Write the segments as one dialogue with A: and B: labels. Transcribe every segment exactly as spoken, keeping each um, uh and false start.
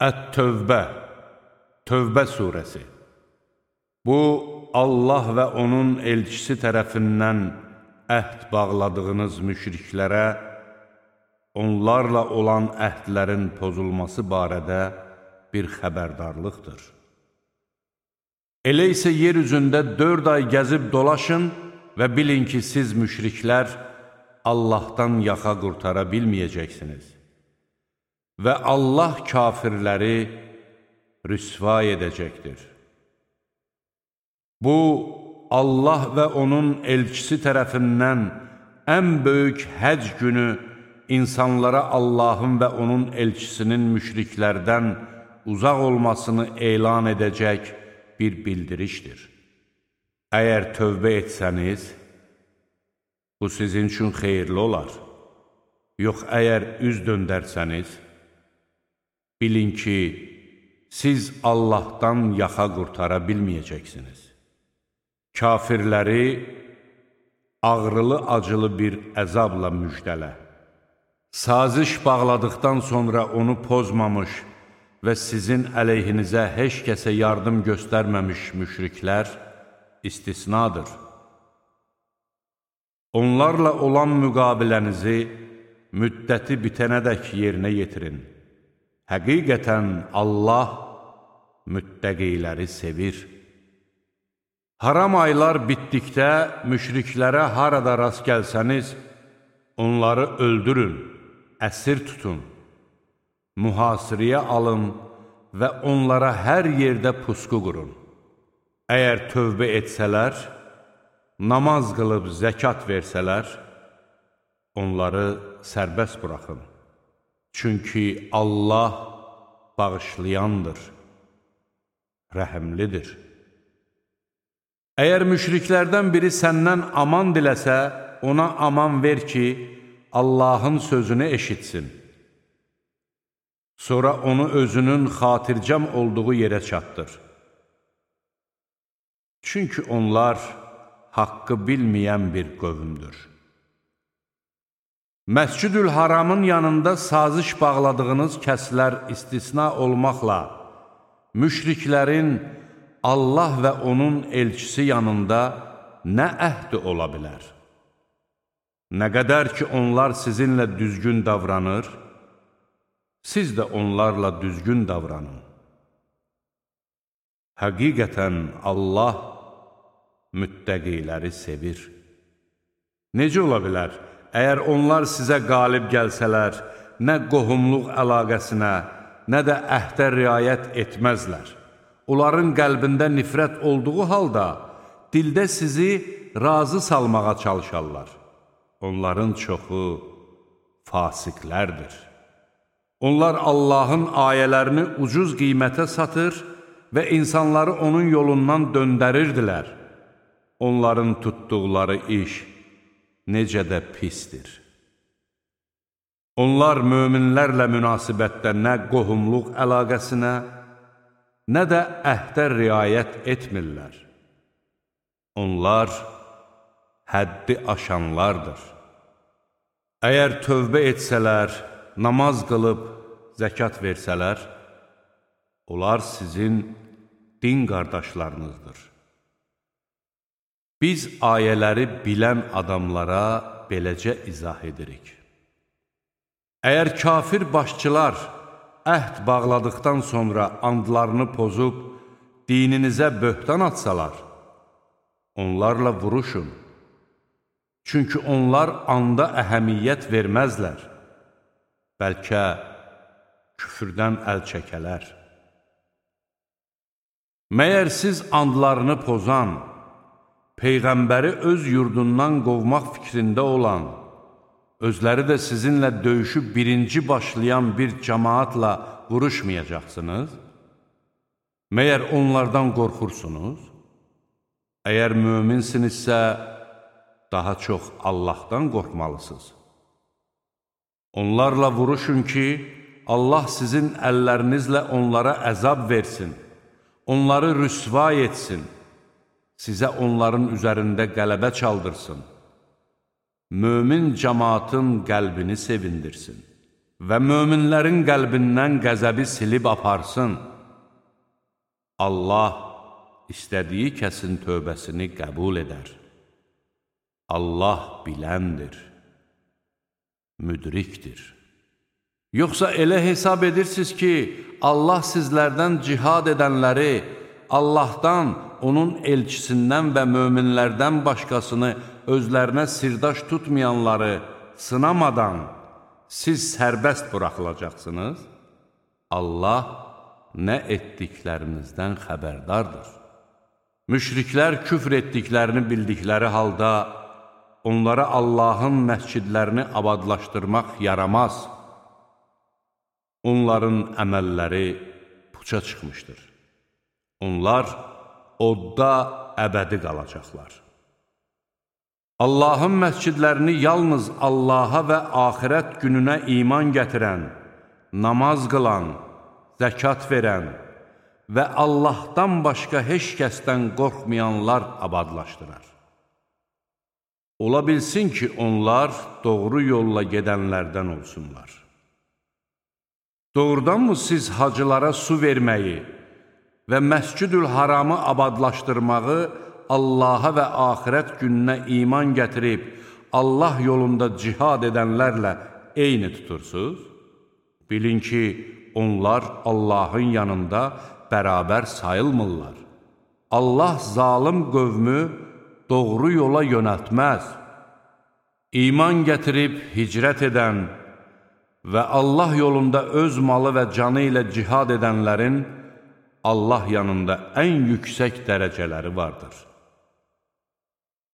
A: Ət-Tövbə, Tövbə surəsi. Bu, Allah və onun elçisi tərəfindən əhd bağladığınız müşriklərə, onlarla olan əhdlərin pozulması barədə bir xəbərdarlıqdır. Elə isə yer üzündə dörd ay gəzib dolaşın və bilin ki, siz müşriklər Allahdan yaxa qurtara bilməyəcəksiniz. Və Allah kafirləri rüsva edəcəkdir. Bu, Allah və onun elçisi tərəfindən ən böyük həc günü insanlara Allahın və onun elçisinin müşriklərdən uzaq olmasını elan edəcək bir bildirişdir. Əgər tövbə etsəniz, bu sizin üçün xeyirli olar. Yox, əgər üz döndərsəniz, bilin ki, siz Allahdan yaxa qurtara bilməyəcəksiniz. Kafirləri ağrılı-acılı bir əzabla müjdələ. Saziş bağladıqdan sonra onu pozmamış və sizin əleyhinizə heç kəsə yardım göstərməmiş müşriklər istisnadır. Onlarla olan müqabilənizi müddəti bitənədək yerinə yetirin. Həqiqətən Allah müttəqiləri sevir. Haram aylar bitdikdə müşriklərə harada rast gəlsəniz, onları öldürün, əsir tutun, mühasirəyə alın və onlara hər yerdə pusqu qurun. Əgər tövbə etsələr, namaz qılıb zəkat versələr, onları sərbəst buraxın. Çünki Allah bağışlayandır, rəhəmlidir. Əgər müşriklərdən biri səndən aman diləsə, ona aman ver ki, Allahın sözünü eşitsin. Sonra onu özünün xatircəm olduğu yerə çatdır. Çünki onlar haqqı bilməyən bir qövmdür. Məscid-ül Haramın yanında saziş bağladığınız kəslər istisna olmaqla, müşriklərin Allah və onun elçisi yanında nə əhdi ola bilər? Nə qədər ki, onlar sizinlə düzgün davranır, siz də onlarla düzgün davranın. Həqiqətən Allah müttəqiləri sevir. Necə ola bilər? Əgər onlar sizə qalib gəlsələr, nə qohumluq əlaqəsinə, nə də əhdə riayət etməzlər. Onların qəlbində nifrət olduğu halda, dildə sizi razı salmağa çalışarlar. Onların çoxu fasiqlərdir. Onlar Allahın ayələrini ucuz qiymətə satır və insanları onun yolundan döndərirdilər. Onların tutduqları iş necə də pisdir. Onlar möminlərlə münasibətdə nə qohumluq əlaqəsinə, nə də əhdə riayət etmirlər. Onlar həddi aşanlardır. Əgər tövbə etsələr, namaz qılıb zəkat versələr, onlar sizin din qardaşlarınızdır. Biz ayələri bilən adamlara beləcə izah edirik. Əgər kafir başçılar əhd bağladıqdan sonra andlarını pozub dininizə böhtan atsalar, onlarla vuruşun. Çünki onlar anda əhəmiyyət verməzlər. Bəlkə küfrdən əl çəkələr. Məyər siz andlarını pozan, Peyğəmbəri öz yurdundan qovmaq fikrində olan, özləri də sizinlə döyüşü birinci başlayan bir cəmaatla vuruşmayacaqsınız? Məyər onlardan qorxursunuz? Əgər möminsinizsə, daha çox Allahdan qorxmalısınız. Onlarla vuruşun ki, Allah sizin əllərinizlə onlara əzab versin, onları rüsva etsin, sizə onların üzərində qələbə çaldırsın, mömin cəmaatın qəlbini sevindirsin. və möminlərin qəlbindən qəzəbi silib aparsın. Allah istədiyi kəsin tövbəsini qəbul edər. Allah biləndir, müdrikdir. Yoxsa elə hesab edirsiniz ki, Allah sizlərdən cihad edənləri, Allahdan, onun elçisindən və möminlərdən başqasını özlərinə sirdaş tutmayanları sınamadan siz sərbəst buraxılacaqsınız? Allah nə etdiklərinizdən xəbərdardır. Müşriklər küfr etdiklərini bildikləri halda onlara Allahın məscidlərini abadlaşdırmaq yaramaz. Onların əməlləri puça çıxmışdır. Onlar odda əbədi qalacaqlar. Allahın məscidlərini yalnız Allaha və axirət gününə iman gətirən, namaz qılan, zəkat verən və Allahdan başqa heç kəsdən qorxmayanlar abadlaşdırar. Ola bilsin ki, onlar doğru yolla gedənlərdən olsunlar. Doğrudanmı siz hacılara su verməyi və Məscid-ül Haramı abadlaşdırmağı Allaha və axirət gününə iman gətirib, Allah yolunda cihad edənlərlə eyni tutursuz? Bilin ki, onlar Allahın yanında bərabər sayılmırlar. Allah zalım qövmü doğru yola yönəltməz. İman gətirib hicrət edən və Allah yolunda öz malı və canı ilə cihad edənlərin Allah yanında ən yüksək dərəcələri vardır.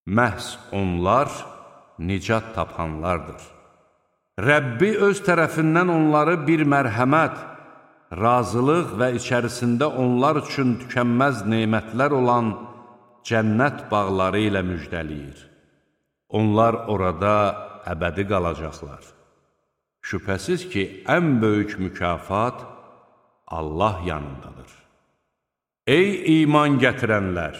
A: Məhz onlar nicat tapanlardır. Rəbbi öz tərəfindən onları bir mərhəmət, razılıq və içərisində onlar üçün tükənməz nemətlər olan cənnət bağları ilə müjdəliyir. Onlar orada əbədi qalacaqlar. Şübhəsiz ki, ən böyük mükafat Allah yanındadır. Ey iman gətirənlər!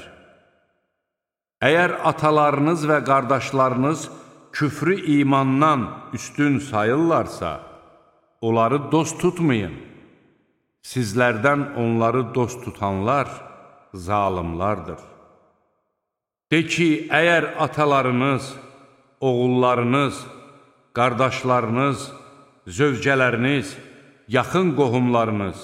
A: Əgər atalarınız və qardaşlarınız küfrü imandan üstün sayırlarsa, onları dost tutmayın. Sizlərdən onları dost tutanlar zalimlardır. De ki, əgər atalarınız, oğullarınız, qardaşlarınız, zövcələriniz, yaxın qohumlarınız,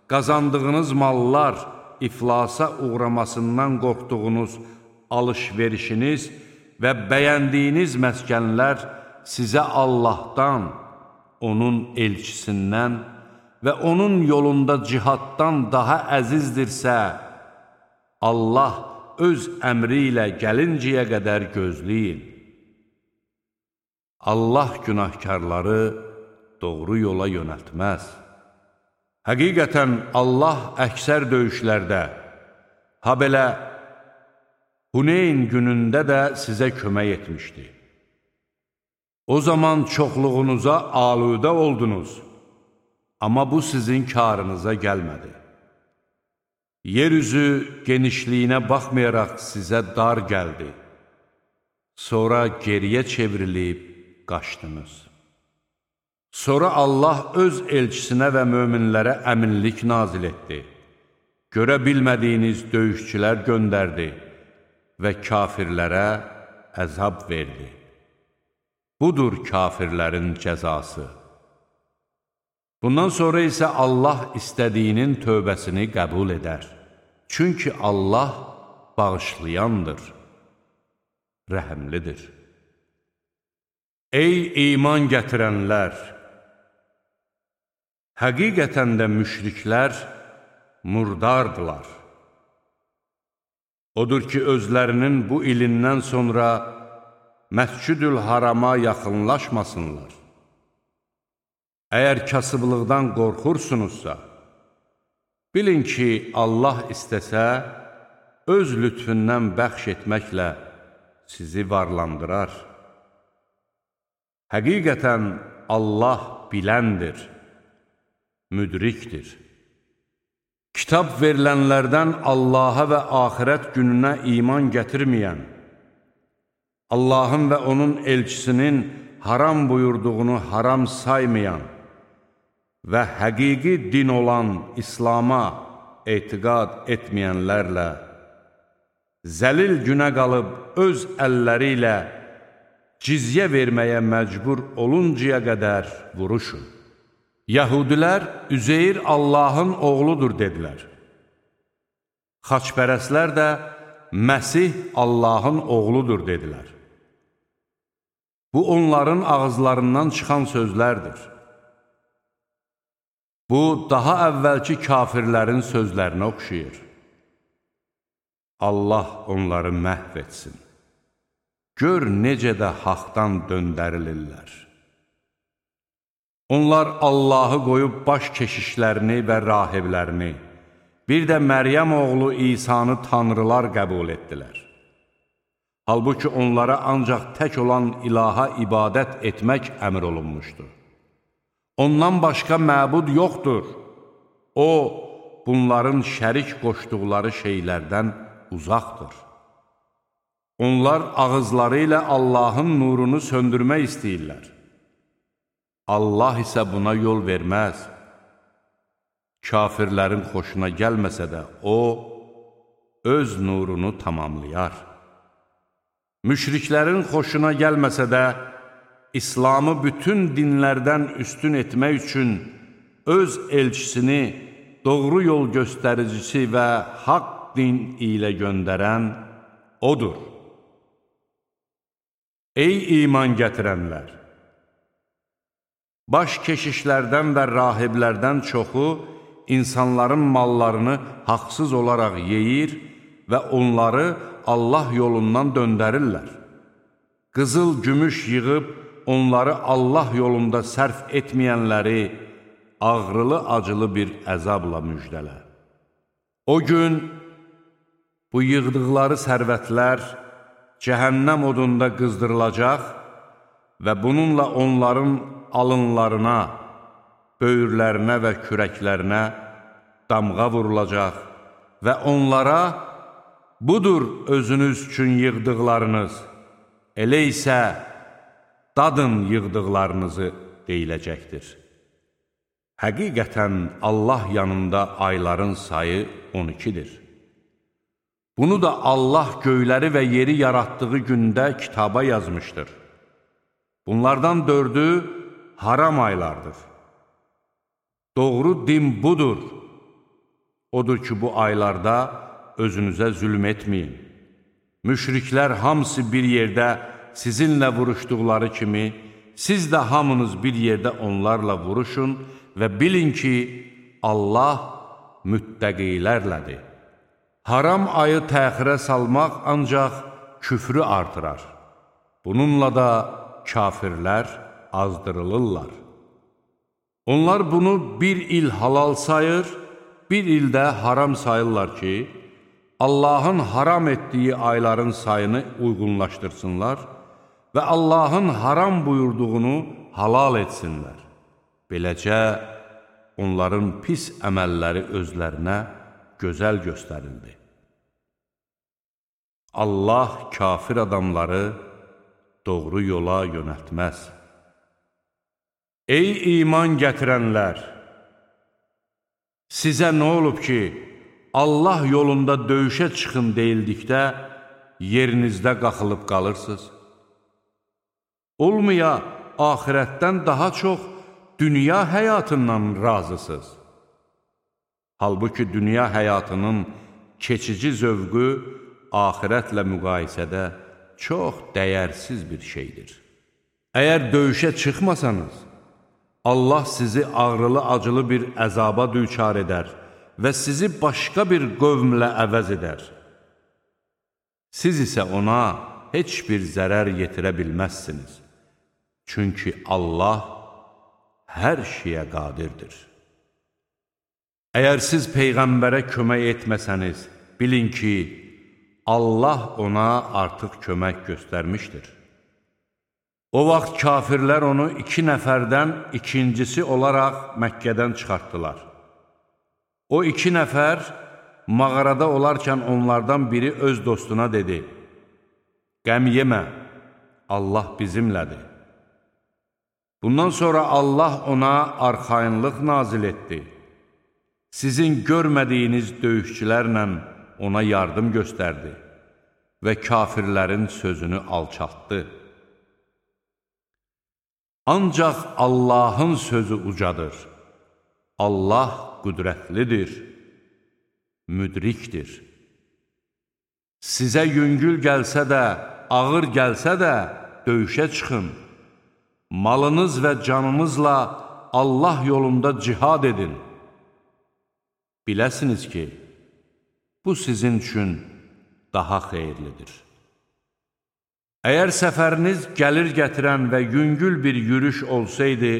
A: qazandığınız mallar iflasa uğramasından qorxduğunuz alış-verişiniz və bəyəndiyiniz məskənlər sizə Allahdan, onun elçisindən və onun yolunda cihaddan daha əzizdirsə, Allah öz əmri ilə gəlinciyə qədər gözləyin. Allah günahkarları doğru yola yönəltməz. Həqiqətən Allah əksər döyüşlərdə, ha belə Huneyn günündə də sizə kömək etmişdi. O zaman çoxluğunuza aludə oldunuz, amma bu sizin karınıza gəlmədi. Yeryüzü genişliyinə baxmayaraq sizə dar gəldi. Sonra geriyə çevrilib qaçdınız. Sonra Allah öz elçisinə və möminlərə əminlik nazil etdi. Görə bilmədiyiniz döyüşçülər göndərdi və kafirlərə əzab verdi. Budur kafirlərin cəzası. Bundan sonra isə Allah istədiyinin tövbəsini qəbul edər. Çünki Allah bağışlayandır, rəhəmlidir. Ey iman gətirənlər! Həqiqətən də müşriklər murdardılar. Odur ki, özlərinin bu ilindən sonra Məscid-ül Harama yaxınlaşmasınlar. Əgər kasıblıqdan qorxursunuzsa, bilin ki, Allah istəsə, öz lütfündən bəxş etməklə sizi varlandırar. Həqiqətən Allah biləndir, müdrikdir. Kitab verilənlərdən Allaha və axirət gününə iman gətirməyən, Allahın və onun elçisinin haram buyurduğunu haram saymayan və həqiqi din olan İslama etiqad etməyənlərlə zəlil günə qalıb öz əlləri ilə cizyə verməyə məcbur oluncaya qədər vuruşun. Yəhudilər Üzeyr Allahın oğludur dedilər. Xaçpərəslər də Məsih Allahın oğludur dedilər. Bu onların ağızlarından çıxan sözlərdir. Bu, daha əvvəlki kafirlərin sözlərinə oxşayır. Allah onları məhv etsin. Gör necə də haqdan döndərilirlər. Onlar Allahı qoyub baş keşişlərini və rahiblərini, bir də Məryəm oğlu İsanı tanrılar qəbul etdilər. Halbuki onlara ancaq tək olan ilaha ibadət etmək əmr olunmuşdur. Ondan başqa məbud yoxdur. O, bunların şərik qoşduqları şeylərdən uzaqdır. Onlar ağızları ilə Allahın nurunu söndürmək istəyirlər. Allah isə buna yol verməz. Kafirlərin xoşuna gəlməsə də O, öz nurunu tamamlayar. Müşriklərin xoşuna gəlməsə də, İslamı bütün dinlərdən üstün etmək üçün öz elçisini doğru yol göstəricisi və haqq din ilə göndərən Odur. Ey iman gətirənlər! Baş keşişlərdən və rahiblərdən çoxu insanların mallarını haqsız olaraq yeyir və onları Allah yolundan döndərirlər. Qızıl, gümüş yığıb onları Allah yolunda sərf etməyənləri ağrılı-acılı bir əzabla müjdələ. O gün bu yığdıqları sərvətlər cəhənnəm odunda qızdırılacaq və bununla onların alınlarına, böyürlərinə və kürəklərinə damğa vurulacaq və onlara budur özünüz üçün yığdıqlarınız, elə isə dadın yığdıqlarınızı deyiləcəkdir. Həqiqətən Allah yanında ayların sayı on ikidir. Bunu da Allah göyləri və yeri yaratdığı gündə kitaba yazmışdır. Bunlardan dördü haram aylardır. Doğru din budur. Odur ki, bu aylarda özünüzə zülm etməyin. Müşriklər hamısı bir yerdə sizinlə vuruşduqları kimi, siz də hamınız bir yerdə onlarla vuruşun və bilin ki, Allah müttəqilərlədir. Haram ayı təxirə salmaq ancaq küfrü artırar. Bununla da kafirlər azdırılırlar. Onlar bunu bir il halal sayır, bir ildə haram sayırlar ki, Allahın haram etdiyi ayların sayını uyğunlaşdırsınlar və Allahın haram buyurduğunu halal etsinlər. Beləcə, onların pis əməlləri özlərinə gözəl göstərildi. Allah kafir adamları doğru yola yönəltməz. Ey iman gətirənlər! Sizə nə olub ki, Allah yolunda döyüşə çıxın deyildikdə yerinizdə qaxılıb qalırsınız? Olmaya axirətdən daha çox dünya həyatından razısınız. Halbuki dünya həyatının keçici zövqü axirətlə müqayisədə çox dəyərsiz bir şeydir. Əgər döyüşə çıxmasanız, Allah sizi ağrılı-acılı bir əzaba düçar edər və sizi başqa bir qövmlə əvəz edər. Siz isə ona heç bir zərər yetirə bilməzsiniz. Çünki Allah hər şeyə qadirdir. Əgər siz Peyğəmbərə kömək etməsəniz, bilin ki, Allah ona artıq kömək göstərmişdir. O vaxt kafirlər onu iki nəfərdən ikincisi olaraq Məkkədən çıxartdılar. O iki nəfər mağarada olarkən onlardan biri öz dostuna dedi: "Qəm yemə, Allah bizimlədir." Bundan sonra Allah ona arxayınlıq nazil etdi. Sizin görmədiyiniz döyüşçülərlə ona yardım göstərdi və kafirlərin sözünü alçaltdı. Ancaq Allahın sözü ucadır. Allah qüdrətlidir, müdrikdir. Sizə yüngül gəlsə də, ağır gəlsə də döyüşə çıxın. Malınız və canınızla Allah yolunda cihad edin. Biləsiniz ki, bu sizin üçün daha xeyirlidir. Əgər səfəriniz gəlir gətirən və yüngül bir yürüş olsaydı,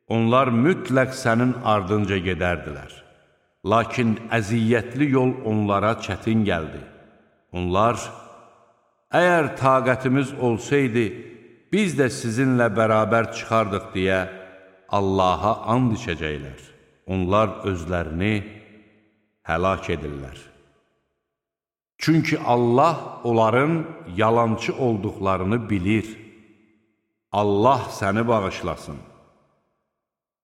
A: onlar mütləq sənin ardınca gedərdilər. Lakin əziyyətli yol onlara çətin gəldi. Onlar, əgər taqətimiz olsaydı, biz də sizinlə bərabər çıxardıq deyə Allaha and içəcəklər. Onlar özlərini həlak edirlər. Çünki Allah onların yalançı olduqlarını bilir. Allah səni bağışlasın.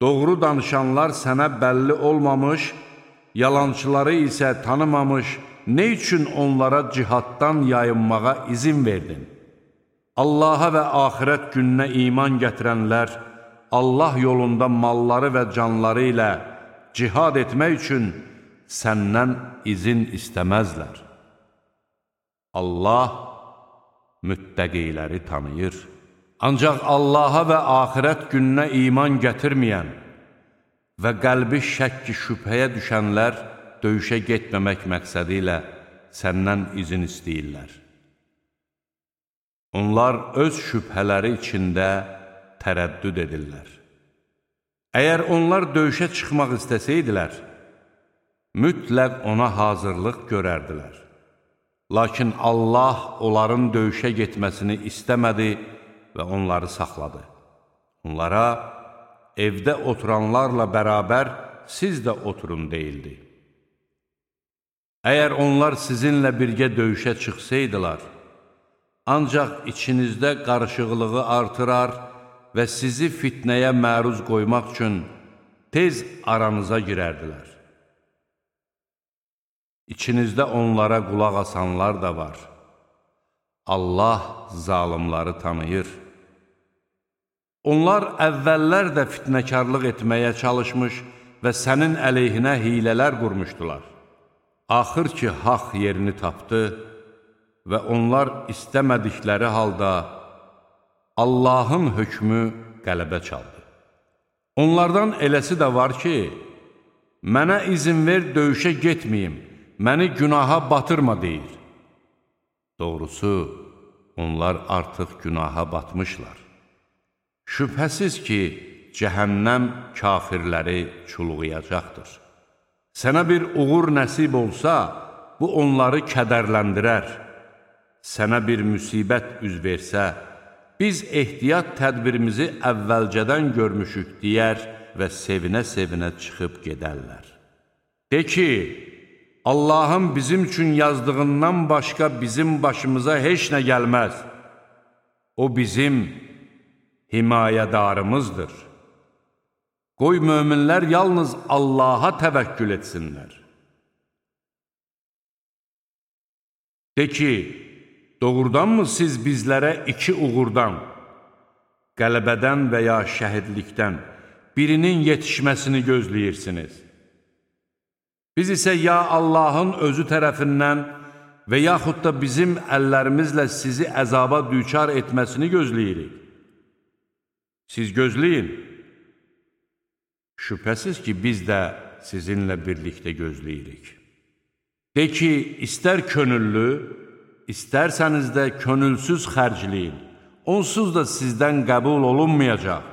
A: Doğru danışanlar sənə bəlli olmamış, yalançıları isə tanımamış, nə üçün onlara cihaddan yayınmağa izin verdin? Allaha və axirət gününə iman gətirənlər, Allah yolunda malları və canları ilə cihad etmək üçün səndən izin istəməzlər. Allah müttəqiləri tanıyır. Ancaq Allaha və axirət gününə iman gətirməyən və qəlbi şəkki şübhəyə düşənlər döyüşə getməmək məqsədi ilə səndən izin istəyirlər. Onlar öz şübhələri içində tərəddüd edirlər. Əgər onlar döyüşə çıxmaq istəsəydilər, mütləq ona hazırlıq görərdilər. Lakin Allah onların döyüşə getməsini istəmədi və onları saxladı. Onlara evdə oturanlarla bərabər siz də oturun deyildi. Əgər onlar sizinlə birgə döyüşə çıxsaydılar, ancaq içinizdə qarışıqlığı artırar və sizi fitnəyə məruz qoymaq üçün tez aranıza girərdilər. İçinizdə onlara qulaq asanlar da var. Allah zalimları tanıyır. Onlar əvvəllər də fitnəkarlıq etməyə çalışmış və sənin əleyhinə hilələr qurmuşdular. Axır ki, haqq yerini tapdı və onlar istəmədikləri halda Allahın hökmü qələbə çaldı. Onlardan eləsi də var ki, mənə izin ver döyüşə getməyim, məni günaha batırma deyir. Doğrusu, onlar artıq günaha batmışlar. Şübhəsiz ki, cəhənnəm kafirləri çulğuyacaqdır. Sənə bir uğur nəsib olsa, bu onları kədərləndirər. Sənə bir müsibət üz versə, biz ehtiyat tədbirimizi əvvəlcədən görmüşük deyər və sevinə-sevinə çıxıb gedərlər. De ki, Allahın bizim üçün yazdığından başqa bizim başımıza heç nə gəlməz. O bizim himayədarımızdır. Qoy möminlər yalnız Allaha təvəkkül etsinlər. De ki, doğrudanmı siz bizlərə iki uğurdan, qələbədən və ya şəhidlikdən birinin yetişməsini gözləyirsiniz? Biz isə ya Allahın özü tərəfindən və yaxud da bizim əllərimizlə sizi əzaba düçar etməsini gözləyirik. Siz gözləyin. Şübhəsiz ki, biz də sizinlə birlikdə gözləyirik. De ki, istər könüllü, istərsəniz də könülsüz xərcləyin. Onsuz da sizdən qəbul olunmayacaq.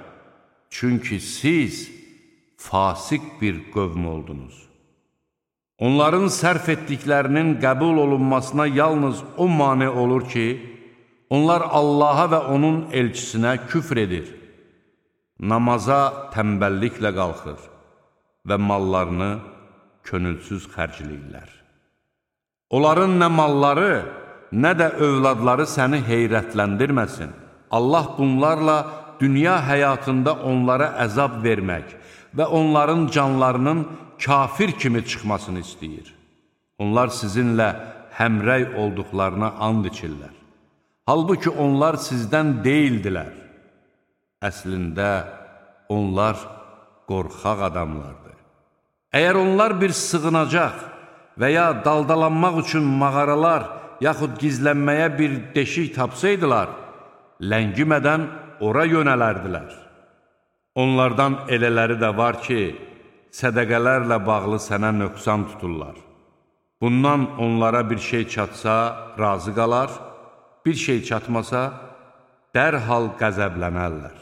A: Çünki siz fasik bir qövm oldunuz. Onların sərf etdiklərinin qəbul olunmasına yalnız o mane olur ki, onlar Allaha və onun elçisinə küfr edir. Namaza tənbəlliklə qalxır və mallarını könülsüz xərcləyirlər. Onların nə malları, nə də övladları səni heyrətləndirməsin. Allah bunlarla dünya həyatında onlara əzab vermək və onların canlarının kafir kimi çıxmasını istəyir. Onlar sizinlə həmrəy olduqlarına and içirlər. Halbuki onlar sizdən deyildilər. Əslində, onlar qorxaq adamlardır. Əgər onlar bir sığınacaq və ya daldalanmaq üçün mağaralar, yaxud gizlənməyə bir deşik tapsaydılar, ləngimədən ora yönələrdilər. Onlardan elələri də var ki, sədəqələrlə bağlı sənə nöqsan tuturlar. Bundan onlara bir şey çatsa, razı qalar, bir şey çatmasa, dərhal qəzəblənərlər.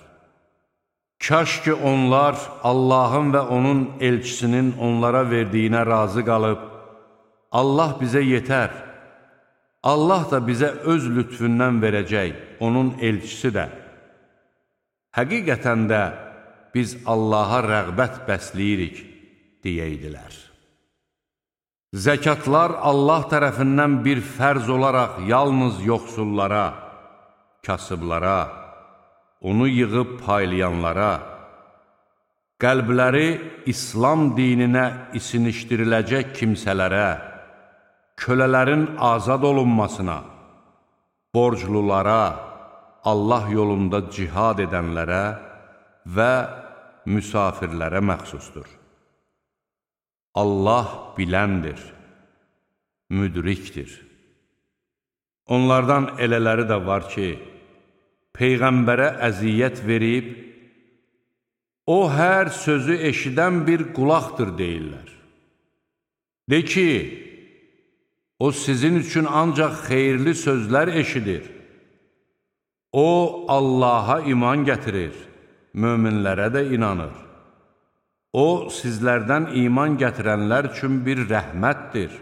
A: Kaş ki, onlar Allahın və onun elçisinin onlara verdiyinə razı qalıb, Allah bizə yetər, Allah da bizə öz lütfündən verəcək, onun elçisi də. Həqiqətən də biz Allaha rəğbət bəsləyirik, deyirdilər. Zəkatlar Allah tərəfindən bir fərz olaraq yalnız yoxsullara, kasıblara, onu yığıb paylayanlara, qəlbləri İslam dininə isinişdiriləcək kimsələrə, kölələrin azad olunmasına, borclulara, Allah yolunda cihad edənlərə və müsafirlərə məxsusdur. Allah biləndir, müdrikdir. Onlardan elələri də var ki, Peyğəmbərə əziyyət verib, o hər sözü eşidən bir qulaqdır deyirlər. De ki, o sizin üçün ancaq xeyirli sözlər eşidir. O, Allaha iman gətirir, möminlərə də inanır. O, sizlərdən iman gətirənlər üçün bir rəhmətdir.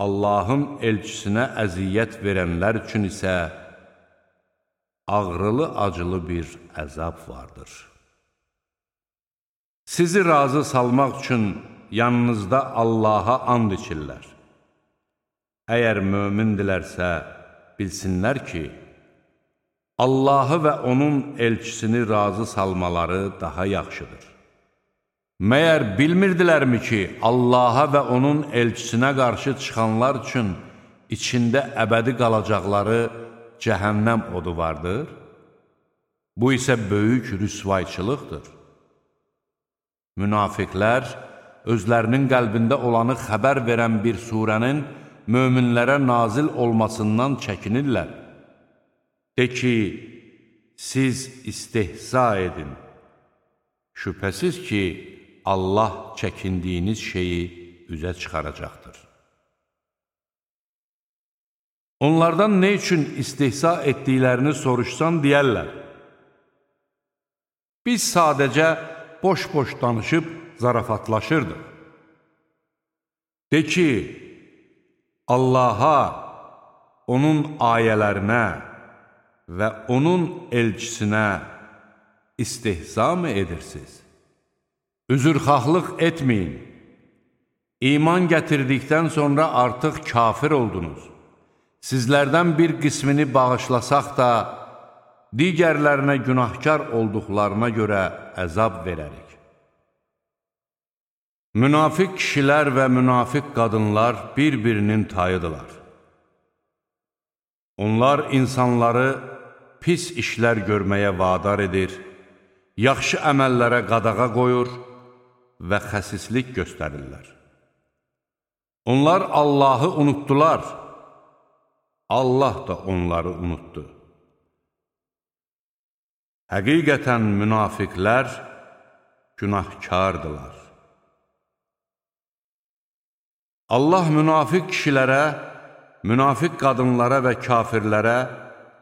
A: Allahın elçisinə əziyyət verənlər üçün isə ağrılı-acılı bir əzab vardır. Sizi razı salmaq üçün yanınızda Allaha and içirlər. Əgər mömindilərsə, bilsinlər ki, Allahı və onun elçisini razı salmaları daha yaxşıdır. Məyər bilmirdilərmi ki, Allaha və onun elçisinə qarşı çıxanlar üçün içində əbədi qalacaqları cəhənnəm odu vardır? Bu isə böyük rüsvayçılıqdır. Münafiqlər özlərinin qəlbində olanı xəbər verən bir surənin möminlərə nazil olmasından çəkinirlər. De ki, siz istehza edin. Şübhəsiz ki, Allah çəkindiyiniz şeyi üzə çıxaracaqdır. Onlardan nə üçün istehza etdiklərini soruşsan deyərlər. Biz sadəcə boş-boş danışıb zarafatlaşırdıq. De ki, Allaha, onun ayələrinə və onun elçisinə istehza mı edirsiniz? Üzrxahlıq etməyin. İman gətirdikdən sonra artıq kafir oldunuz. Sizlərdən bir qismini bağışlasaq da, digərlərinə günahkar olduqlarına görə əzab verərik. Münafiq kişilər və münafiq qadınlar bir-birinin tayıdırlar. Onlar insanları pis işlər görməyə vadar edir, yaxşı əməllərə qadağa qoyur və xəsislik göstərirlər. Onlar Allahı unutdular, Allah da onları unutdu. Həqiqətən münafiqlər günahkardılar. Allah münafiq kişilərə, münafiq qadınlara və kafirlərə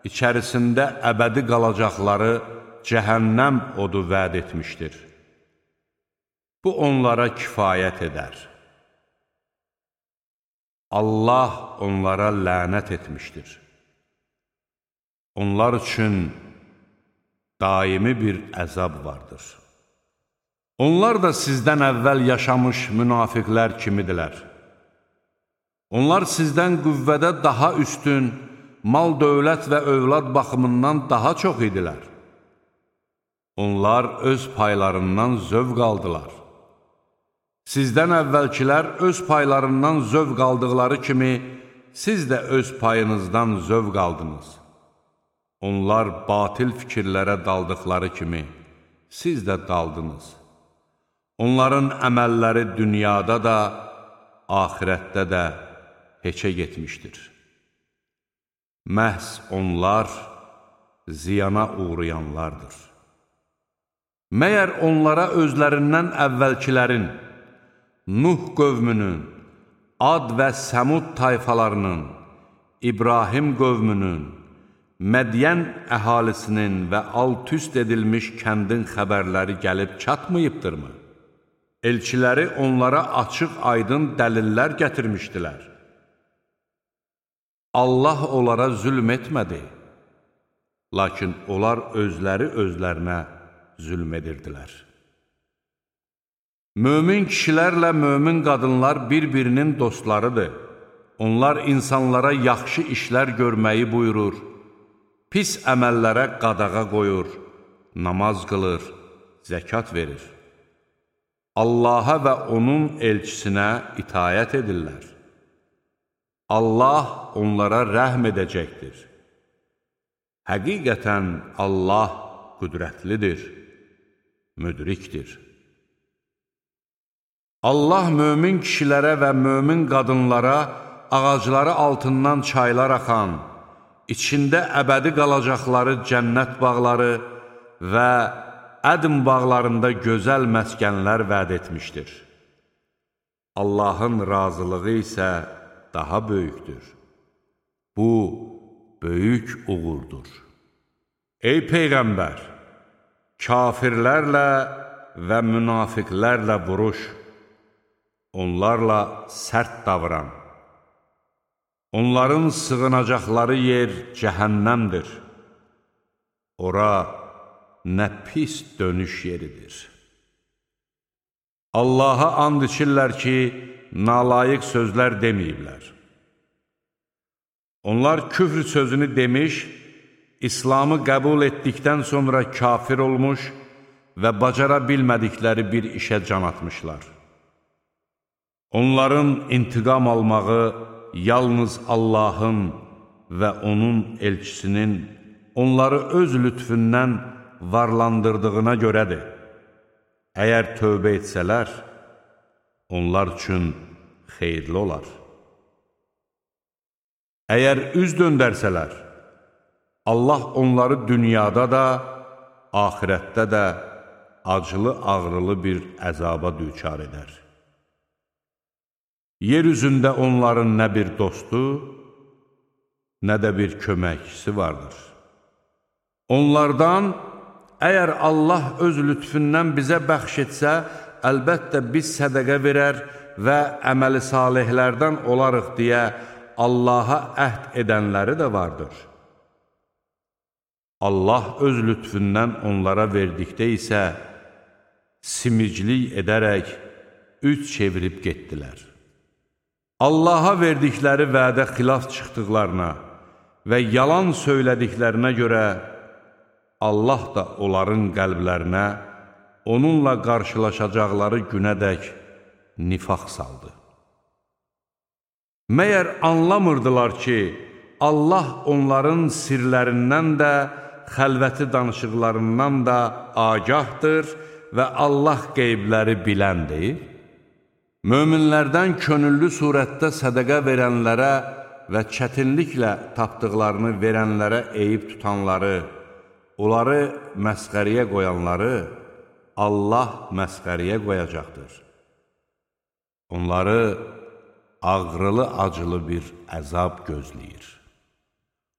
A: içərisində əbədi qalacaqları cəhənnəm odu vəd etmişdir. Bu onlara kifayət edər. Allah onlara lənət etmişdir. Onlar üçün daimi bir əzab vardır. Onlar da sizdən əvvəl yaşamış münafiqlər kimidirlər. Onlar sizdən qüvvədə daha üstün, mal, dövlət və övlad baxımından daha çox idilər. onlar öz paylarından zövq aldılar. Sizdən əvvəlkilər öz paylarından zövq aldıqları kimi, siz də öz payınızdan zövq aldınız. Onlar batil fikirlərə daldıqları kimi, siz də daldınız. Onların əməlləri dünyada da, axirətdə də heçə getmişdir. Məhz onlar ziyana uğrayanlardır. Məyər onlara özlərindən əvvəlkilərin, Nuh qövmünün, Ad və Səmud tayfalarının, İbrahim qövmünün, Mədiyən əhalisinin və alt-üst edilmiş kəndin xəbərləri gəlib çatmayıbdırmı? Elçiləri onlara açıq-aydın dəlillər gətirmişdilər. Allah onlara zülm etmədi, lakin onlar özləri özlərinə zülm edirdilər. Mömin kişilərlə mömin qadınlar bir-birinin dostlarıdır. Onlar insanlara yaxşı işlər görməyi buyurur, pis əməllərə qadağa qoyur, namaz qılır, zəkat verir. Allaha və onun elçisinə itayət edirlər. Allah onlara rəhm edəcəkdir. Həqiqətən Allah qüdrətlidir, müdrikdir. Allah mömin kişilərə və mömin qadınlara ağacları altından çaylar axan, içində əbədi qalacaqları cənnət bağları və ədm bağlarında gözəl məskənlər vəd etmişdir. Allahın razılığı isə daha böyükdür. Bu, böyük uğurdur. Ey Peyğəmbər, kafirlərlə və münafiqlərlə vuruş, onlarla sərt davran. Onların sığınacaqları yer cəhənnəmdir. Ora nə pis dönüş yeridir. Allaha and içirlər ki, nalayiq sözlər deməyiblər. Onlar küfr sözünü demiş, İslamı qəbul etdikdən sonra kafir olmuş və bacara bilmədikləri bir işə can atmışlar. Onların intiqam almağı yalnız Allahın və onun elçisinin onları öz lütfündən varlandırdığına görədir. Əgər tövbə etsələr, onlar üçün xeyirli olar. Əgər üz döndərsələr, Allah onları dünyada da, axirətdə də acılı-ağrılı bir əzaba düçar edər. Yer üzündə onların nə bir dostu, nə də bir köməkçisi vardır. Onlardan, əgər Allah öz lütfündən bizə bəxş etsə, əlbəttə biz sədəqə verər və əməli salihlərdən olarıq deyə Allaha əhd edənləri də vardır. Allah öz lütfündən onlara verdikdə isə simiclik edərək üç çevirib getdilər. Allaha verdikləri vədə xilaf çıxdıqlarına və yalan söylədiklərinə görə Allah da onların qəlblərinə onunla qarşılaşacaqları günədək nifaq saldı. Məyər anlamırdılar ki, Allah onların sirlərindən də, xəlvəti danışıqlarından da agahdır və Allah qeybləri biləndir. Möminlərdən könüllü surətdə sədəqə verənlərə və çətinliklə tapdıqlarını verənlərə eyib tutanları, onları məsxəriyə qoyanları Allah məsxəriyə qoyacaqdır. Onları ağrılı-acılı bir əzab gözləyir.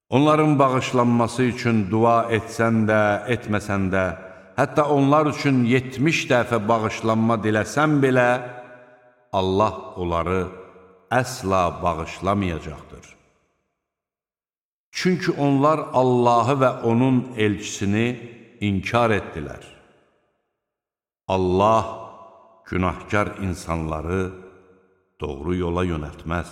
A: Onların bağışlanması üçün dua etsən də, etməsən də, hətta onlar üçün yetmiş dəfə bağışlanma diləsən belə, Allah onları əsla bağışlamayacaqdır. Çünki onlar Allahı və onun elçisini inkar etdilər. Allah günahkar insanları doğru yola yönəltməz.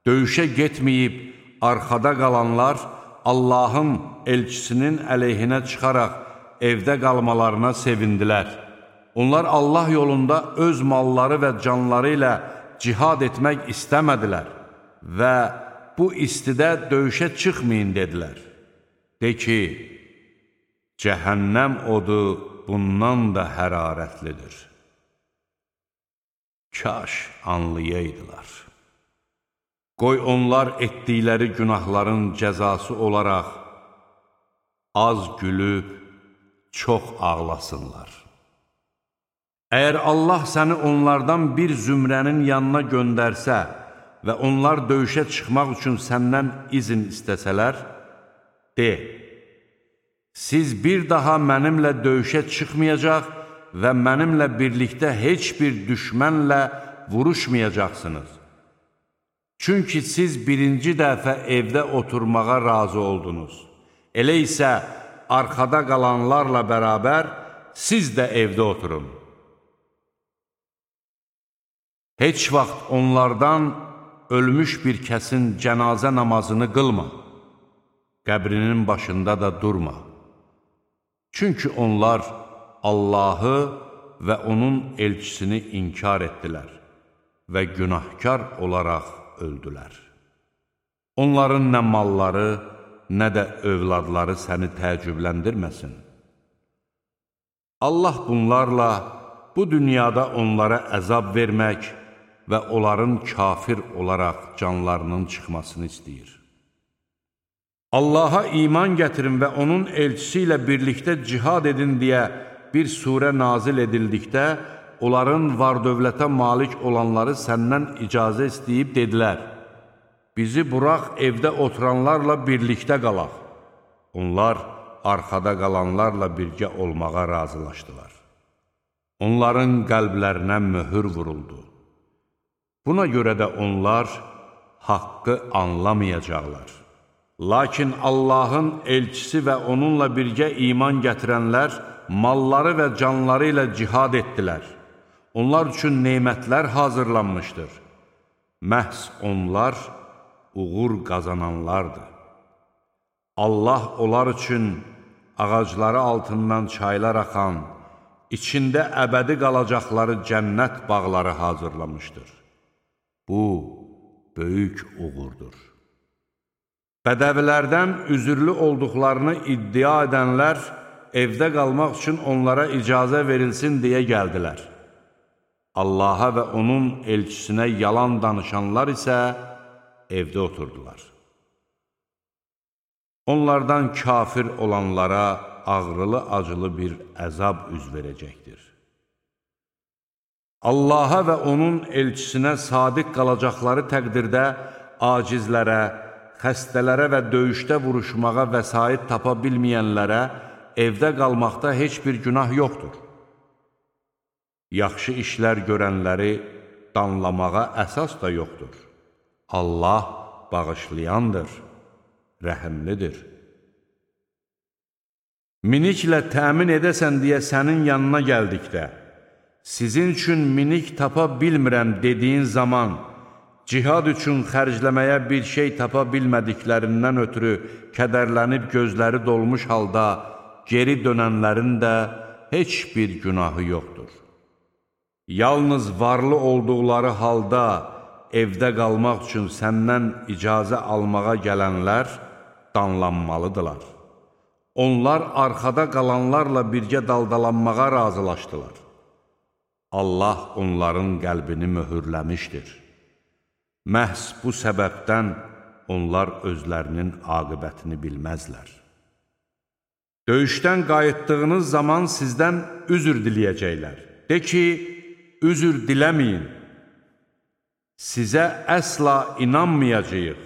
A: Döyüşə getməyib, arxada qalanlar Allahın elçisinin əleyhinə çıxaraq evdə qalmalarına sevindilər. Onlar Allah yolunda öz malları və canları ilə cihad etmək istəmədilər və bu istidə döyüşə çıxmayın dedilər. De ki, cəhənnəm odu bundan da hərarətlidir. Kaş anlayaydılar. Qoy onlar etdikləri günahların cəzası olaraq az gülüb, çox ağlasınlar. Əgər Allah səni onlardan bir zümrənin yanına göndərsə və onlar döyüşə çıxmaq üçün səndən izin istəsələr, de, siz bir daha mənimlə döyüşə çıxmayacaq və mənimlə birlikdə heç bir düşmənlə vuruşmayacaqsınız. Çünki siz birinci dəfə evdə oturmağa razı oldunuz. Elə isə arxada qalanlarla bərabər siz də evdə oturun. Heç vaxt onlardan ölmüş bir kəsin cənazə namazını qılma, qəbrinin başında da durma. Çünki onlar Allahı və onun elçisini inkar etdilər və günahkar olaraq öldülər. Onların nə malları, nə də övladları səni təəccübləndirməsin. Allah bunlarla bu dünyada onlara əzab vermək və onların kafir olaraq canlarının çıxmasını istəyir. Allaha iman gətirin və onun elçisi ilə birlikdə cihad edin deyə bir surə nazil edildikdə, onların var-dövlətə malik olanları səndən icazə istəyib dedilər, bizi burax evdə oturanlarla birlikdə qalaq. Onlar arxada qalanlarla birgə olmağa razılaşdılar. Onların qəlblərinə möhür vuruldu. Buna görə də onlar haqqı anlamayacaqlar. Lakin Allahın elçisi və onunla birgə iman gətirənlər malları və canları ilə cihad etdilər. Onlar üçün neymətlər hazırlanmışdır. Məhz onlar uğur qazananlardır. Allah onlar üçün ağacları altından çaylar axan, içində əbədi qalacaqları cənnət bağları hazırlamışdır. Bu, böyük uğurdur. Bədəvilərdən üzürlü olduqlarını iddia edənlər, evdə qalmaq üçün onlara icazə verilsin deyə gəldilər. Allaha və onun elçisinə yalan danışanlar isə evdə oturdular. Onlardan kafir olanlara ağrılı-acılı bir əzab üz verəcəkdir. Allaha və onun elçisinə sadiq qalacaqları təqdirdə acizlərə, xəstələrə və döyüşdə vuruşmağa vəsait tapa bilməyənlərə evdə qalmaqda heç bir günah yoxdur. Yaxşı işlər görənləri danlamağa əsas da yoxdur. Allah bağışlayandır, rəhimlidir. Miniklə təmin edəsən deyə sənin yanına gəldikdə, sizin üçün minik tapa bilmirəm dediyin zaman, cihad üçün xərcləməyə bir şey tapa bilmədiklərindən ötürü kədərlənib gözləri dolmuş halda geri dönənlərin də heç bir günahı yoxdur. Yalnız varlı olduqları halda evdə qalmaq üçün səndən icazə almağa gələnlər danlanmalıdırlar. Onlar arxada qalanlarla birgə daldalanmağa razılaşdılar. Allah onların qəlbini möhürləmişdir. Məhz bu səbəbdən onlar özlərinin aqibətini bilməzlər. Döyüşdən qayıtdığınız zaman sizdən üzr diləyəcəklər. De ki, üzr diləməyin. Sizə əsla inanmayacağıq.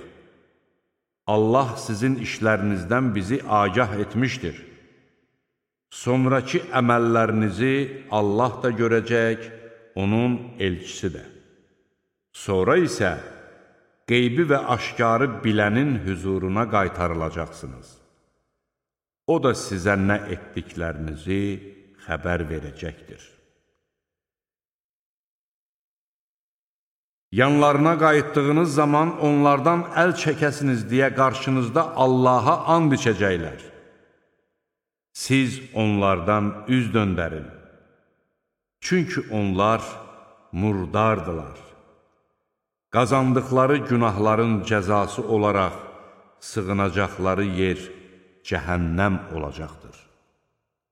A: Allah sizin işlərinizdən bizi agah etmişdir. Sonraki əməllərinizi Allah da görəcək, onun elçisi də. Sonra isə qeybi və aşkarı bilənin hüzuruna qaytarılacaqsınız. O da sizə nə etdiklərinizi xəbər verəcəkdir. Yanlarına qayıtdığınız zaman onlardan əl çəkəsiniz deyə qarşınızda Allaha and içəcəklər. siz onlardan üz döndərin. Çünki onlar murdardılar. Qazandıqları günahların cəzası olaraq sığınacaqları yer cəhənnəm olacaqdır.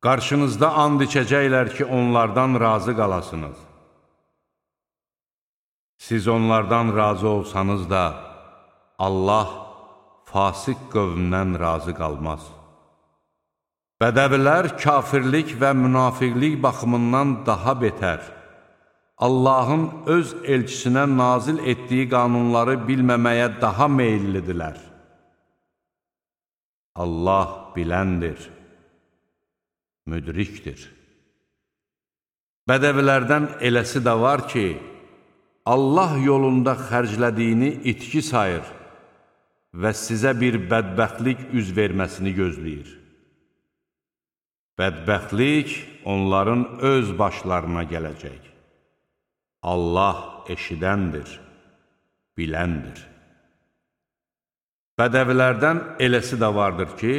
A: Qarşınızda and içəcəklər ki, onlardan razı qalasınız. Siz onlardan razı olsanız da, Allah fasik qövmdən razı qalmaz. Bədəvilər kafirlik və münafiqlik baxımından daha betər, Allahın öz elçisinə nazil etdiyi qanunları bilməməyə daha meyillidirlər. Allah biləndir, müdrikdir. Bədəvilərdən eləsi də var ki, Allah yolunda xərclədiyini itki sayır və sizə bir bədbəxtlik üz verməsini gözləyir. Bədbəxtlik onların öz başlarına gələcək. Allah eşidəndir, biləndir. Bədəvilərdən eləsi də vardır ki,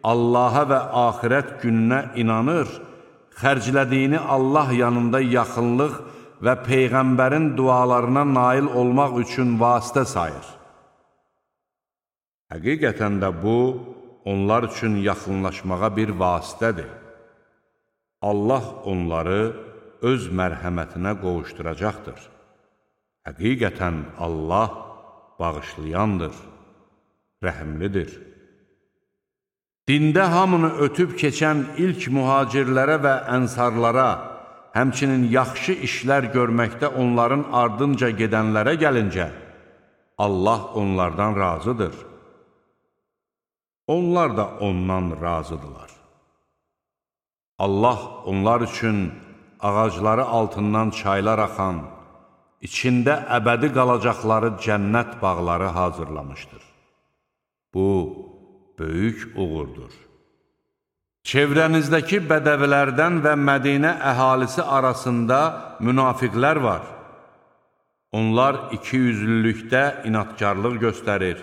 A: Allaha və axirət gününə inanır, xərclədiyini Allah yanında yaxınlıq və Peyğəmbərin dualarına nail olmaq üçün vasitə sayır. Həqiqətən də bu, onlar üçün yaxınlaşmağa bir vasitədir. Allah onları öz mərhəmətinə qovuşduracaqdır. Həqiqətən Allah bağışlayandır, rəhimlidir. Dində hamını ötüb keçən ilk mühacirlərə və ənsarlara, həmçinin yaxşı işlər görməkdə onların ardınca gedənlərə gəlincə, Allah onlardan razıdır. Onlar da ondan razıdırlar. Allah onlar üçün ağacları altından çaylar axan, içində əbədi qalacaqları cənnət bağları hazırlamışdır. Bu, böyük uğurdur. Çevrənizdəki bədəvilərdən və Mədinə əhalisi arasında münafiqlər var. Onlar ikiyüzlülükdə inatkarlıq göstərir,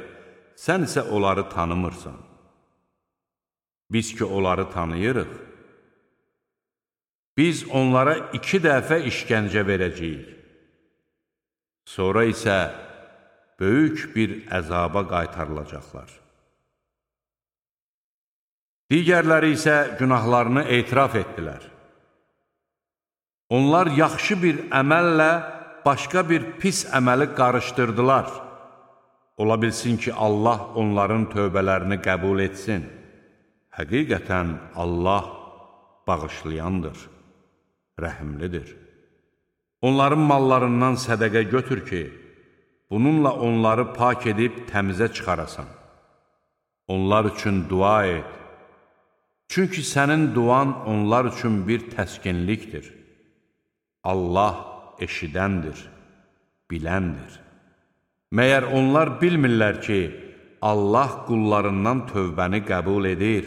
A: sən isə onları tanımırsan. Biz ki, onları tanıyırıq. Biz onlara iki dəfə işgəncə verəcəyik. Sonra isə böyük bir əzaba qaytarılacaqlar. Digərləri isə günahlarını etiraf etdilər. Onlar yaxşı bir əməllə başqa bir pis əməli qarışdırdılar. Ola bilsin ki, Allah onların tövbələrini qəbul etsin. Həqiqətən Allah bağışlayandır, rəhimlidir. Onların mallarından sədəqə götür ki, bununla onları pak edib təmizə çıxarasan. Onlar üçün dua et. Çünki sənin duan onlar üçün bir təskinlikdir. Allah eşidəndir, biləndir. Məyər onlar bilmirlər ki, Allah qullarından tövbəni qəbul edir,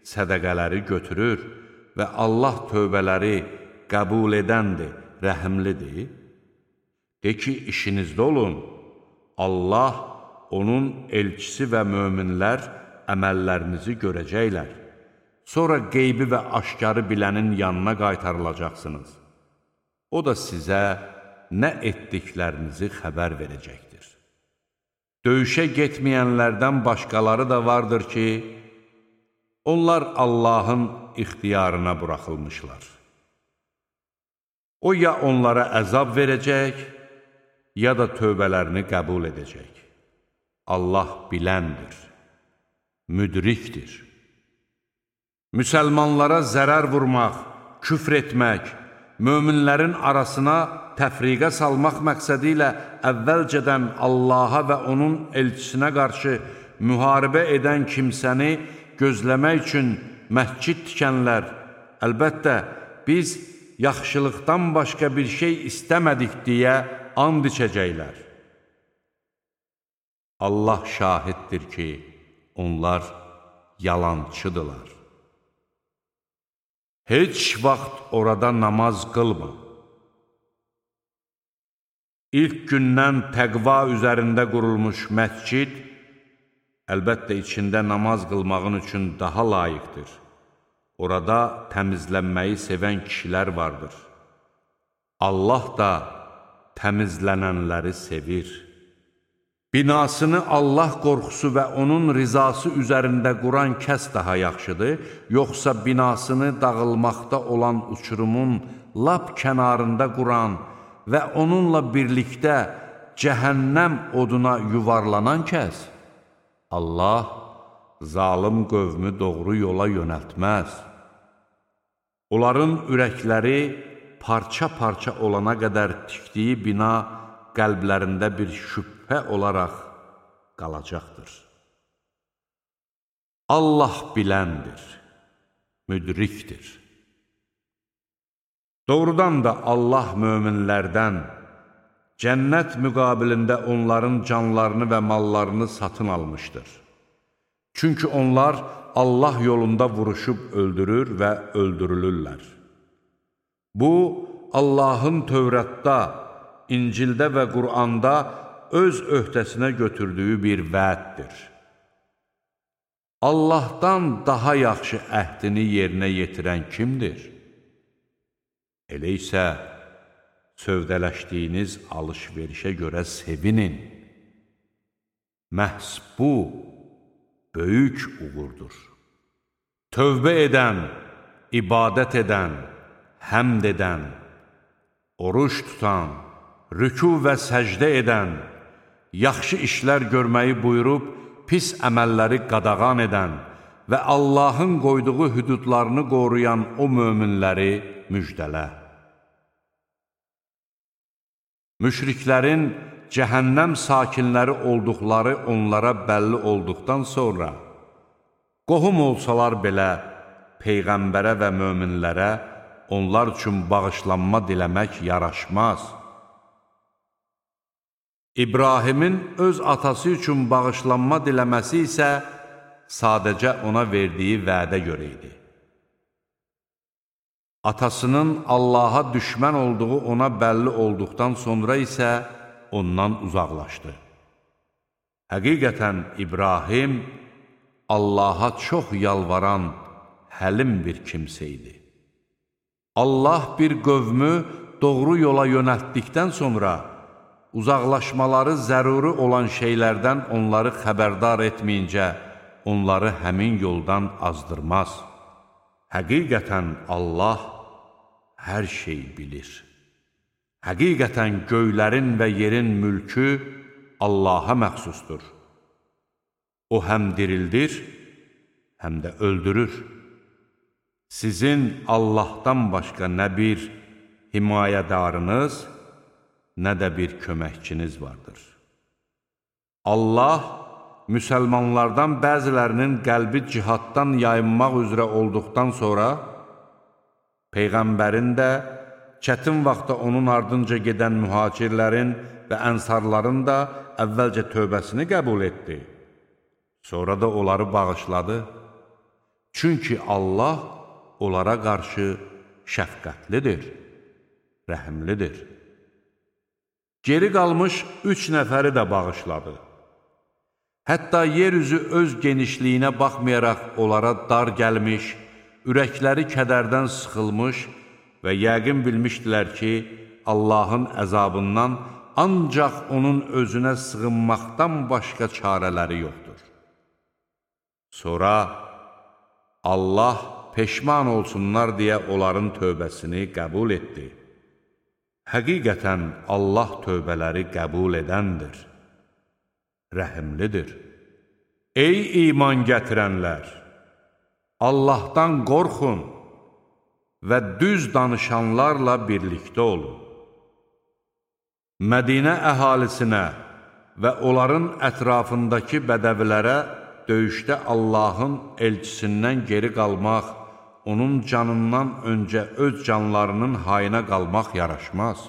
A: sədəqələri götürür və Allah tövbələri qəbul edəndir, rəhimlidir. De ki, işinizdə olun, Allah, onun elçisi və möminlər əməllərinizi görəcəklər. Sonra qeybi və aşkarı bilənin yanına qaytarılacaqsınız. O da sizə nə etdiklərinizi xəbər verəcəkdir. Döyüşə getməyənlərdən başqaları da vardır ki, onlar Allahın ixtiyarına buraxılmışlar. O ya onlara əzab verəcək, ya da tövbələrini qəbul edəcək. Allah biləndir, müdrikdir. Müsəlmanlara zərər vurmaq, küfr etmək, möminlərin arasına təfriqə salmaq məqsədi ilə əvvəlcədən Allaha və onun elçisinə qarşı müharibə edən kimsəni gözləmək üçün məscid tikənlər, əlbəttə, biz yaxşılıqdan başqa bir şey istəmədik deyə and içəcəklər. Allah şahiddir ki, onlar yalançıdırlar. Heç vaxt orada namaz qılma. İlk gündən təqva üzərində qurulmuş məscid, əlbəttə içində namaz qılmağın üçün daha layiqdir. Orada təmizlənməyi sevən kişilər vardır. Allah da təmizlənənləri sevir. Binasını Allah qorxusu və onun rizası üzərində quran kəs daha yaxşıdır, yoxsa binasını dağılmaqda olan uçurumun lap kənarında quran və onunla birlikdə cəhənnəm oduna yuvarlanan kəs? Allah zalım qövmü doğru yola yönəltməz. Onların ürəkləri parça-parça olana qədər tikdiyi bina qəlblərində bir şübhə olaraq qalacaqdır. Allah biləndir, müdrikdir. Doğrudan da Allah möminlərdən cənnət müqabilində onların canlarını və mallarını satın almışdır. Çünki onlar Allah yolunda vuruşub öldürür və öldürülürlər. Bu, Allahın Tövratda, İncildə və Quranda öz öhdəsinə götürdüyü bir vəddir. Allahdan daha yaxşı əhdini yerinə yetirən kimdir? Elə isə sövdələşdiyiniz alış-verişə görə sevinin. Məhz bu, böyük uğurdur. Tövbə edən, ibadət edən, həmd edən, oruç tutan, rükû və səcdə edən, yaxşı işlər görməyi buyurub, pis əməlləri qadağan edən və Allahın qoyduğu hüdudlarını qoruyan o möminləri müjdələ. Müşriklərin cəhənnəm sakinləri olduqları onlara bəlli olduqdan sonra, qohum olsalar belə Peyğəmbərə və möminlərə onlar üçün bağışlanma diləmək yaraşmaz. İbrahimin öz atası üçün bağışlanma diləməsi isə sadəcə ona verdiyi vədə görə idi. Atasının Allaha düşmən olduğu ona bəlli olduqdan sonra isə ondan uzaqlaşdı. Həqiqətən İbrahim Allaha çox yalvaran, həlim bir kimsə idi. Allah bir qövmü doğru yola yönəltdikdən sonra uzaqlaşmaları zəruri olan şeylərdən onları xəbərdar etməyincə onları həmin yoldan azdırmaz. Həqiqətən Allah hər şey bilir. Həqiqətən göylərin və yerin mülkü Allaha məxsusdur. O həm dirildir, həm də öldürür. Sizin Allahdan başqa nə bir himayədarınız, nə də bir köməkçiniz vardır. Allah müsəlmanlardan bəzilərinin qəlbi cihaddan yayınmaq üzrə olduqdan sonra, Peyğəmbərin də çətin vaxtda onun ardınca gedən mühacirlərin və ənsarların da əvvəlcə tövbəsini qəbul etdi. Sonra da onları bağışladı. Çünki Allah onlara qarşı şəfqətlidir, rəhimlidir. Geri qalmış üç nəfəri də bağışladı. Hətta yeryüzü öz genişliyinə baxmayaraq onlara dar gəlmiş, ürəkləri kədərdən sıxılmış və yəqin bilmişdilər ki, Allahın əzabından ancaq onun özünə sığınmaqdan başqa çarələri yoxdur. Sonra Allah peşman olsunlar deyə onların tövbəsini qəbul etdi. Həqiqətən Allah tövbələri qəbul edəndir, rəhimlidir. Ey iman gətirənlər! Allahdan qorxun və düz danışanlarla birlikdə olun. Mədinə əhalisinə və onların ətrafındakı bədəvilərə döyüşdə Allahın elçisindən geri qalmaq, onun canından öncə öz canlarının hayına qalmaq yaraşmaz.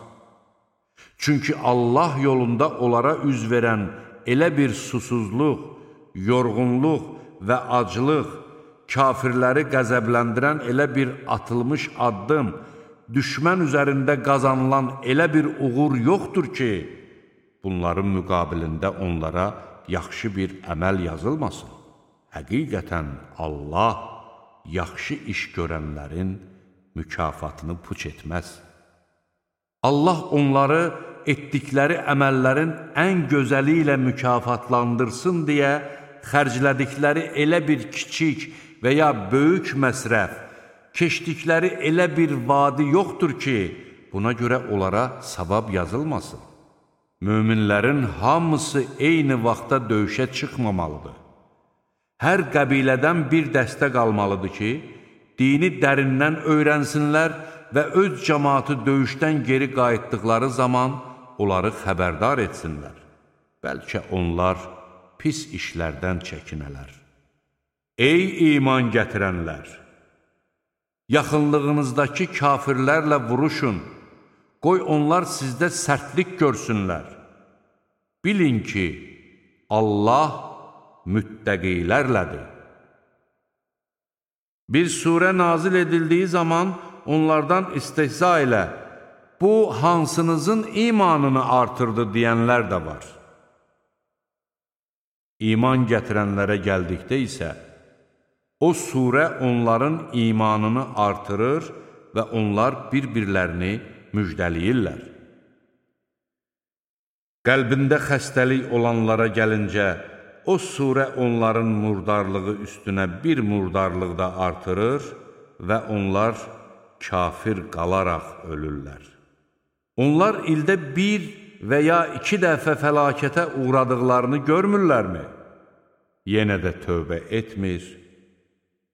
A: Çünki Allah yolunda onlara üz verən elə bir susuzluq, yorğunluq və aclıq, kafirləri qəzəbləndirən elə bir atılmış addım, düşmən üzərində qazanılan elə bir uğur yoxdur ki, bunların müqabilində onlara yaxşı bir əməl yazılmasın. Həqiqətən Allah yaxşı iş görənlərin mükafatını puç etməz. Allah onları etdikləri əməllərin ən gözəli ilə mükafatlandırsın deyə xərclədikləri elə bir kiçik və ya böyük məsrəf, keçdikləri elə bir vadi yoxdur ki, buna görə onlara savab yazılmasın. Möminlərin hamısı eyni vaxtda döyüşə çıxmamalıdır. Hər qəbilədən bir dəstə qalmalıdır ki, dini dərindən öyrənsinlər və öz cəmaatı döyüşdən geri qayıtdıqları zaman onları xəbərdar etsinlər. Bəlkə onlar pis işlərdən çəkinələr. Ey iman gətirənlər! Yaxınlığınızdakı kafirlərlə vuruşun, qoy onlar sizdə sərtlik görsünlər. Bilin ki, Allah müttəqilərlədir. Bir surə nazil edildiyi zaman onlardan istehza ilə, bu hansınızın imanını artırdı deyənlər də var. İman gətirənlərə gəldikdə isə, o surə onların imanını artırır və onlar bir-birlərini müjdəliyirlər. Qəlbində xəstəlik olanlara gəlincə, o surə onların murdarlığı üstünə bir murdarlıq da artırır və onlar kafir qalaraq ölürlər. Onlar ildə bir və ya iki dəfə fəlakətə uğradıqlarını görmürlərmi? Yenə də tövbə etmir,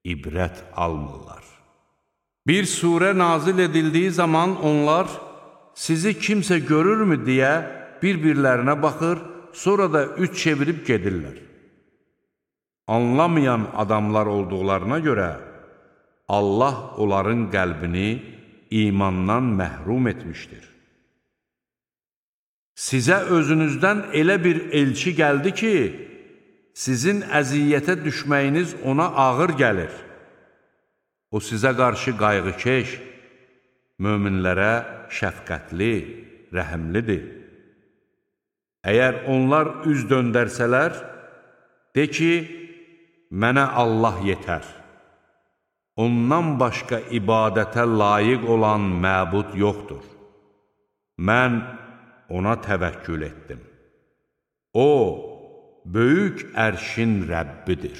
A: ibrət almırlar. Bir surə nazil edildiyi zaman onlar sizi kimsə görürmü deyə bir-birlərinə baxır, sonra da üç çevirib gedirlər. Anlamayan adamlar olduqlarına görə Allah onların qəlbini imandan məhrum etmişdir. Sizə özünüzdən elə bir elçi gəldi ki, sizin əziyyətə düşməyiniz ona ağır gəlir. O sizə qarşı qayğıkeş, möminlərə şəfqətli, rəhimlidir. Əgər onlar üz döndərsələr, de ki, mənə Allah yetər. Ondan başqa ibadətə layiq olan məbud yoxdur. Mən ona təvəkkül etdim. O, böyük ərşin Rəbbidir.